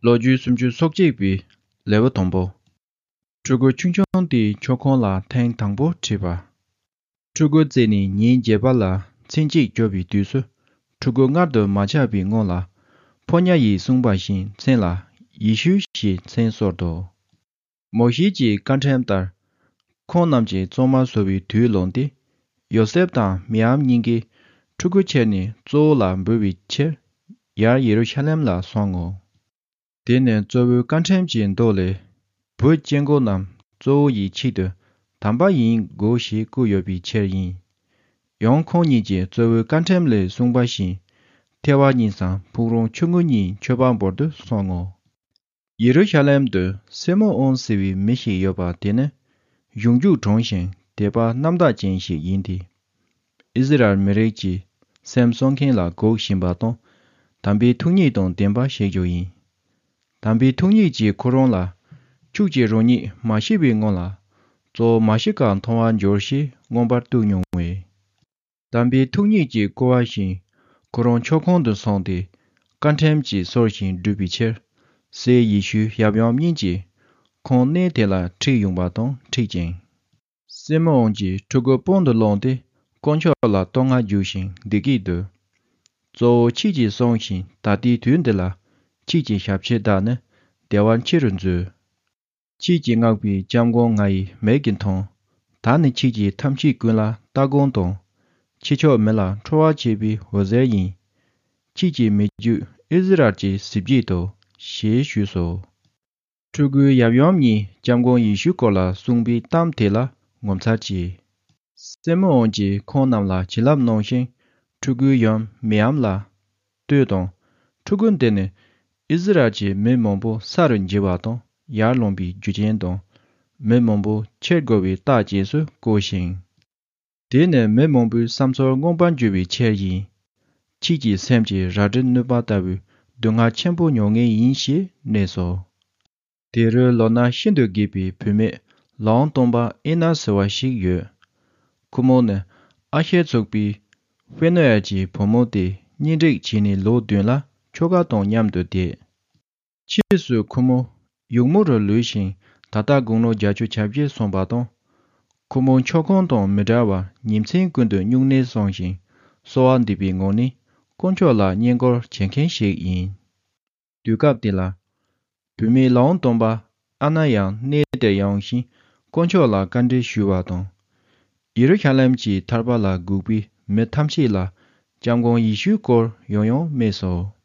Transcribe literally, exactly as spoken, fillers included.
ལོ་རྒྱུས་སུམ་ཅུ་སོ་གཅིག་པའི་ལེའུ་དང་པོ། ཕྲུ་གུ་ཆུང་ཆུང་དེའི་མཆོད་ཁང་ལ་ཐེངས་དང་པོ་ཁྲིད་པ། ཕྲུ་གུ་བཙས་ནས་ཉིན་བརྒྱད་པ་ལ་མཚན་དཔྱད་བརྗོད་པའི་དུས་སུ། ཕྲུ་གུ་མངལ་དུ་མ་ཆགས་པའི་སྔོན་ལ། ཕོ་ཉ་ཡིས་གསུངས་པ་བཞིན་མཚན་ལ་ཡེ་ཤུ་ཞེས་མཚན་གསོལ་ཏོ། མོ་ཤེས་ཀྱི་བཀའ་ཁྲིམས་ལྟར། ཁོང་རྣམས་ཀྱིས་གཙང་མ་བཟོ་བའི་དུས་ལོན་ཏེ། ཡོ་སེབ་དང་མི་ཡམ་གཉིས་ཀས་ཕྲུ་གུ་ཁྱེར་ནས་གཙོ་བོ་ལ་འབུལ་བའི་ཕྱིར། ཡར་ཡེ་རུ་ཤ་ལེམ་ལ་སོང་ངོ་། དེ་ནི་གཙོ་བོའི་བཀའ་ཁྲིམས་ཀྱི་མདོ་ལས། བུ་སྐྱེ་དགུ་རྣམས་གཙོ་བོ་ཡི་ཆེད་དུ་དམ་པ་ཡིན་དགོས་ཞེས་བཀོད་ཡོད་པའི་ཕྱིར་ཡིན། ཡང་ཁོང་ཉིད་ཀྱིས་གཙོ་བོའི་བཀའ་ཁྲིམས་ལས་གསུངས་པ་བཞིན། ཐལ་བ་གཉིས་སམ་ཕུག་རོན་ཆུང་ངུ་གཉིས་མཆོད་པ་འབུལ་དུ་སོང་ངོ་། ཡེ་རུ་ཤ་ལེམ་དུ་སི་མོ་ཨོན་ཟེར་བའི་མི་ཞིག་ཡོད་པ་དེ་ནི། གཞུང་རྒྱུག་གྲོང་ཞིང་དད་པ་རྣམ་དག་ཅན་ཞིག་ཡིན་ཏེ། ཨིསི་རཱཨེལ་མི་རིགས་ཀྱི་སེམས་གསོ་མཁན་ལ་འགོག་བཞིན་པ་དང་། དམ་པའི་ཐུགས་ཉིད་དང་ལྡན་པ་ཞིག་ཀྱང་ཡིན། དམ་པའི་ཐུགས་ཉིད་ཀྱིས་ཁོ་རང་ལ། ཁྱོད་ཀྱིས་རང་ཉིད་མ་ཤི་བའི་སྔོན་ལ། གཙོ་བོ་མ་ཤི་ཀ་མཐོང་བར་འགྱུར་ཞེས་མངོན་པར་བསྟན་མྱོང་བས། དམ་པའི་ཐུགས་ཉིད་ཀྱིས་བསྐུལ་བ་བཞིན། ཁོ་རང་མཆོད་ཁང་དུ་སོང་སྟེ། བཀའ་ཁྲིམས་ཀྱི་སྲོལ་བཞིན་བསྒྲུབས་པའི་ཕྱིར། སྲས་ཡེ་ཤུ་ཡབ་ཡུམ་གཉིས་ཀྱིས། ཁོང་གནས་དེ་ལ་ཁྲིད་ཡོང་བ་དང་འཁྲིད་ཅིང་། སི་མོ་ཨོན་གྱིས་ཕྲུ་གུ་པང་དུ་བླངས་ཏེ། དཀོན་མཆོག་ལ་བསྟོད་བསྔགས་བརྗོད་བཞིན་འདི་སྐད་དུ། གཙོ་བོ་ཁྱེད་ཀྱིས་གསུངས་ཤིང་ད་ལྟའི་དུས་འདི་ལ། ཁྱེད་ཀྱི་ཞབས་ཕྱི་བདག་ནི། བདེ་བར་འཆི་རུ་མཛོད། ཁྱེད་ཀྱིས་མངགས་པའི་ལྕམ་སྒང་ང་ཡི་མིག་གིས་མཐོང་། ད་ནི་ཁྱེད་ཀྱིས་ཐམས་ཅད་ཀུན་ལ་ལྟ་སྒོམ་དང་། ཁྱེད་ཕྱོགས་མི་ལ་ཁྲོ་བ་བྱེད་པའི་འོད་ཟེར་ཡིན། ཁྱེད་ཀྱི་མི་རྒྱུད་ཨིསི་རཱཨེལ་གྱི་གཟི་བརྗིད་དོ། ཞེས་ཞུས་སོ། ཕྲུ་གུའི་ཡབ་ཡུམ་གཉིས་ལྕམ་སྒང་ཡེ་ཤུའི་སྐོར་ལ་གསུངས་པའི་གཏམ་དེ་ལ་ངོ་མཚར་སྐྱེས། སི་མོ་ཨོན་གྱིས་ཁོང་རྣམས་ལ་བྱིན་རླབས་གནང་ཞིང་། ཕྲུ་གུའི་ཡུམ་མི་ཡམ་ལ། ལྟོས་དང་། ཕྲུ་གུ་འདི་ནི་ཨིསི་རཱཨེལ་གྱི་མི་མང་པོ་ས་རུ་འགྱེལ་བ་དང་ཡར་ལོངས་པའི་རྒྱུ་རྐྱེན་དང་། མི་མང་པོ་འཆི་དགོས་པའི་རྟགས་རྗེས་སུ་བཀོད་ཅིང་། དེ་ནི་མི་མང་པོའི་བསམ་ཚུལ་མངོན་པར་འགྱུར་བའི་ཕྱིར་ཡིན། ཁྱེད་ཀྱི་སེམས་ཀྱི་རལ་གྲི་ནུས་པ་ལྟ་བུའི་སྡུག་བསྔལ་ཆེན་པོ་མྱོང་ངེས་ཡིན་ཞེས་སྨྲས་སོ། དེ་རུ་ལོ་ན་ཤིན་ཏུ་རྒས་པའི་བུད་མེད་ལམ་སྟོན་པ་ཨེ་ན་ཟེར་བ་ཞིག་ཡོད། ཁོ་མོ་ནི་ཨ་ཤེར་ཚོགས་པའི་ཕེ་ནུ་ཨེལ་གྱི་བུ་མོ་དེ་གཉེན་སྒྲིག་བྱས་ནས་ལོ་བདུན་ལ་ཁྱོ་ག་དང་མཉམ་དུ་བསྡད། ཕྱིས་སུ་ཁོ་མོ་ཡུགས་མོ་རུ་ལུས་ཤིང་ད་ལྟ་དགུང་ལོ་བརྒྱད་ཅུ་གྱ་བརྒྱད་སོན་པ་དང་། ཁོ་མོ་མཆོད་ཁང་དང་མི་འབྲལ་བར་ཉིན་མཚན་ཀུན་ཏུ་སྨྱུང་གནས་བསྲུང་ཞིང་གསོལ་བ་འདེབས་པའི་ངང་ནས་དཀོན་མཆོག་ལ་བསྙེན་བཀུར་བྱེད་མཁན་ཞིག་ཡིན། དུས་སྐབས་དེ་ལ། བུད་མེད་ལམ་སྟོན་པ་ཨ་ན་ཡང་གནས་དེར་ཡོང་ཞིང་དཀོན་མཆོག་ལ་བཀའ་འདྲི་ཞུས་པ་དང་། ཡེ་རུ་ཤ་ལེམ་གྱི་ཐར་པ་ལ་སྒུག་པའི་མི་ཐམས་ཅད་ལ་ལྕམ་སྒང་ཡེ་ཤུའི་སྐོར་ཡང་ཡང་སྨྲས་སོ།